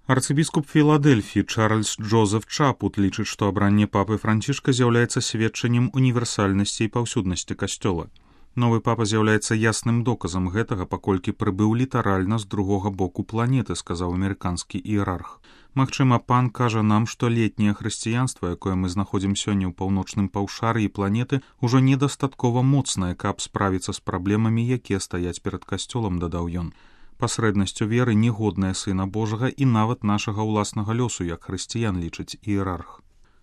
Арцыбіскуп Філадэльфіі Чарльз Джозеф Чапут лічыць, што абранне папы Францішка з'яўляецца сведчаннем універсальнасці і паўсюднасці касцёла. Новы папа з'яўляецца ясным доказам гэтага, паколькі прыбыў літаральна з другога боку планеты, сказаў амерыканскі іерарх. Магчыма, пан кажа нам, што летняе хрысціянства, якое мы знаходзім сёння ў паўночным паўшар'і планеты, ужо недастаткова моцнае, каб справіцца з праблемамі, якія стаяць перад касцёлам, дадаў ён. Пасрэднасцю веры негодная Сына Божага і нават нашага ўласнага лёсу, як хрысціян, лічыць іерарх.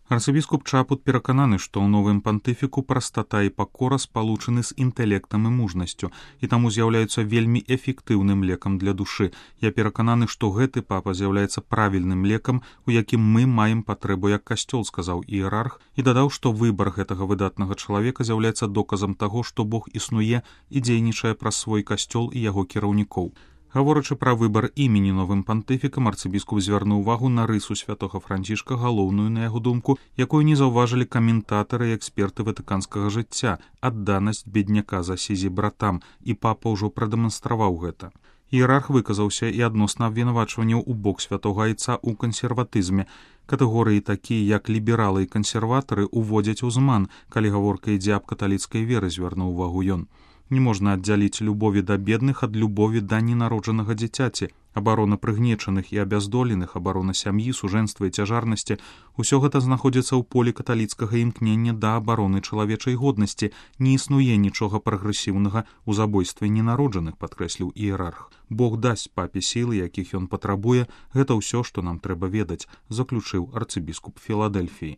Арцыбіскуп Чапут перакананы, што ў новым пантыфіку прастата і пакора спалучаны з інтэлектам і мужнасцю, і таму з'яўляюцца вельмі эфектыўным лекам для душы. Я перакананы, што гэты папа з'яўляецца правільным лекам, у якім мы маем патрэбу як касцёл, сказаў іерарх, і дадаў, што выбар гэтага выдатнага чалавека з'яўляецца доказам таго, што Бог існуе і дзейнічае праз свой касцёл і яго кіраўнікоў. Гаворачы пра выбар імені новым пантыфікам, арцыбіскуп звярнуў увагу на рысу святога Францішка, галоўную, на яго думку, якую не заўважылі каментатары і эксперты ватыканскага жыцця, адданасць бедняка за сізі братам, і папа ўжо прадэманстраваў гэта. Іерарх выказаўся і адносна абвінавачванняў у бок святога айца ў кансерватызме. Катэгорыі такія, як лібералы і кансерватары, уводзяць у зман, калі гаворка ідзе аб каталіцкай веры, звярнуў увагу ён. Не можна аддзяліць любові да бедных ад любові да ненароджанага дзіцяці. Абарона прыгнечаных і абяздоленых, абарона сям'і, сужэнства і цяжарнасці — усё гэта знаходзіцца ў полі каталіцкага імкнення да абароны чалавечай годнасці. Не існуе нічога прагрэсіўнага ў забойстве ненароджаных, падкрэсліў іерарх. Бог дасць папе сілы, якіх ён патрабуе, гэта ўсё, што нам трэба ведаць, заключыў арцыбіскуп Філадэльфіі.